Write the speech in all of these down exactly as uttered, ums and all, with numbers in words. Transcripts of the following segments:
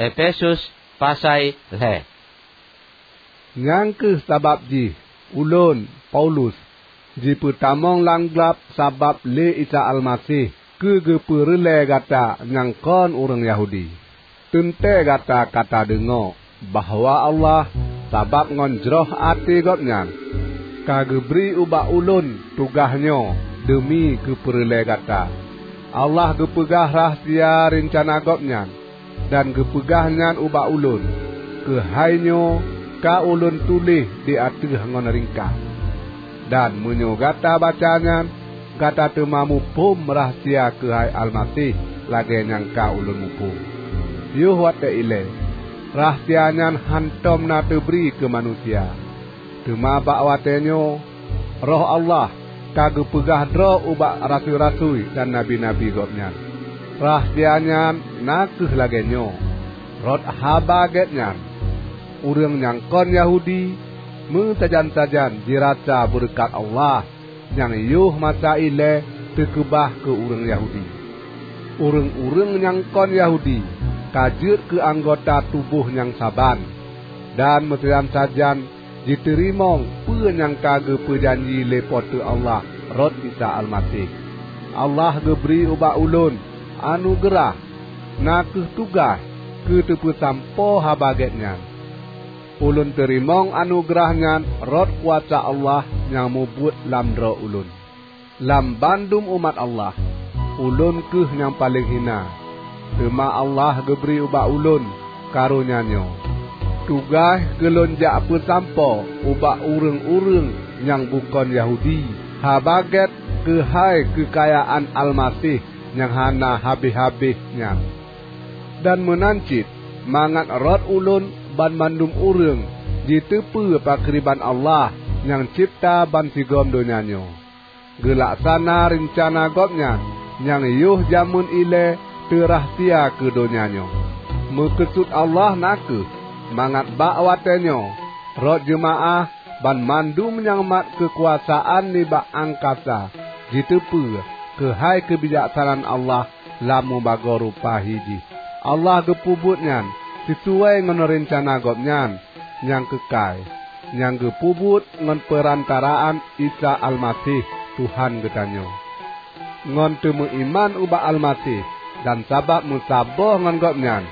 Efesus pasai lhée. Nyang kheueh sabab jih ulôn, Paulus, jipeutamong lam glab sabab lé Isa Almaseh keu geupeureulée gata nyang kon ureuëng Yahudi. Teuntée gata ka tadeungoe bahwa Allah, sabab ngon jroh até Gobnyan, ka geubri ubak ulôn tugaih nyoe deumi geupeureulée gata. Allah geupeugah rahsia reuncana Gobnyan, dan geupeugah nyan ubak ulôn. Keuhai nyoe ka ulôn tuléh di ateueh ngon ringkas. Dan meunyoe gata baca nyan, gata teuma muphom rahsia keuhai Almaseh lagée nyang ka ulôn muphom. Yoh watée ilée, rahsia nyan hántom na teubri keu manusia. Teuma bak watée nyoe, Roh Allah ka geupeugah droe ubak rasui-rasui dan nabi-nabi Gobnyan. Rahsia nyan na kheueh lagée nyoe: Rot Haba Gét nyan, ureuëng nyang kon Yahudi meusajan-sajan jirasa beureukat Allah nyang yoh masa ilée teukeubah keu ureuëng Yahudi. Ureuëng-ureuëng nyang kon Yahudi ka jeuet keu anggota tuboh nyang saban, dan meusajan-sajan jiteurimong peue nyang ka geupeujanji lé Po teu Allah rot Isa Almaseh. Allah geubri ubak ulôn anugeurah, na kheueh tugaih keu teupeusampoe Haba Gét nyan. Ulôn teurimong anugeurah nyan rot kuasa Allah nyang mubuet lam droe ulôn. Lam bandum umat Allah, ulôn kheueh nyang paleng hina, teuma Allah geubri ubak ulôn karonya nyoe: Tugaih keu lôn jak peusampoe ubak ureuëng-ureuëng nyang bukon Yahudi Haba Gét keuhai keukayaan Almaseh nyang hana habéh-habéh nyan. Dan meunan cit mangat rot ulôn banmandum ureuëng jiteupeu pakriban Allah nyang cebta bansigom donya nyoe, geulaksana reuncana Gobnyan nyang yoh jamén ilée teurahsia keu donya nyoe. Meukeusut Allah na kheueh mangat bak watée nyoe rot jeumaáh banmandum nyang mat keukuasaan nibak angkasa jiteupeu keuhai keubijaksanaan Allah lam mubagoe rupa hi jih. Allah geupeubuet nyan sisuai ngon reuncana Gobnyan nyang keukai, nyang geupeubuet ngon peurantaraan Isa Almaseh, Tuhan geutanyoe. Ngon teumeuiman ubak Almaseh dan sabab meusaboh ngon Gobnyan,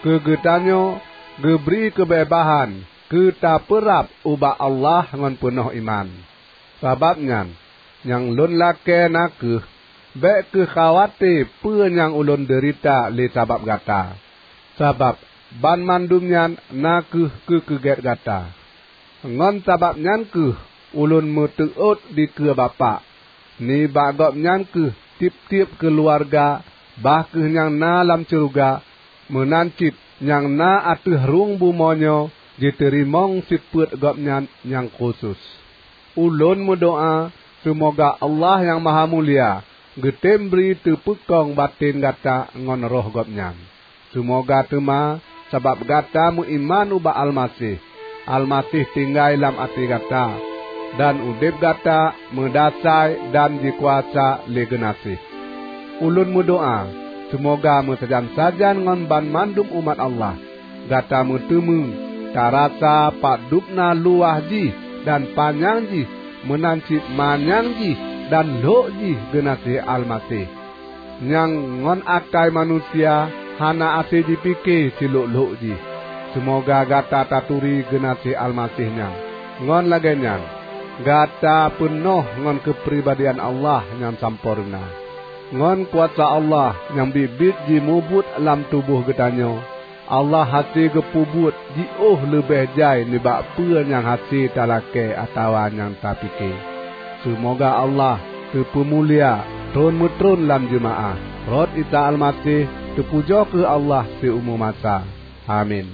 keu geutanyoe geubri keubeubahan keu tapeurab ubak Allah ngon peunoh iman. Sabab nyan, nyang lôn lakée na kheueh, bék kheueh khawate peue nyang ulôn deurita lé sabab gata. Sabab banmandum nyan na kheueh keu keugét gata. Ngon sabab nyan kheueh ulôn meuteuôt dikeue Bapak. Nibak Gobnyan kheueh tieb-tieb keuluwarga, bah kheueh nyang na lam syeuruga, meunan cit nyang na ateueh rhueng bumoe nyoe, jiteurimong sifeuet Gobnyan nyang khusos. Ulôn meudoá seumoga Allah Nyang Mahamulia geutem bri teupeukong batén gata ngon Roh Gobnyan. Seumoga teuma sabab gata meuiman ubak Almaseh, Almaseh tinggai lam até gata, dan udeb gata meudasai dan jikuasa lé geunaséh. Ulôn meudoá seumoga meusajan-sajan ngon banmandum umat Allah, gata meuteumé tarasa padubna luwah jih dan panyang jih, meunan cit manyang jih dan lhok jih geunaséh Almaseh, nyang ngon akai manusia hana até jipike silhok-lhok jih. Seumoga gata taturi geunaséh Almaseh nyan. Ngon lagée nyan, gata peunoh ngon keupribadian Allah nyang sampoereuna. Ngon kuasa Allah nyang biet-biet jimubuet lam tuboh geutanyoe, Allah hase geupeubuet jiôh leubeh jai nibak peue nyang hase talakée atawa nyang tapike. Seumoga Allah teupeumulia tron-meutron lam jeumaáh, rot Isa Almaseh teupujoe kheueh Allah siumu masa. Amin.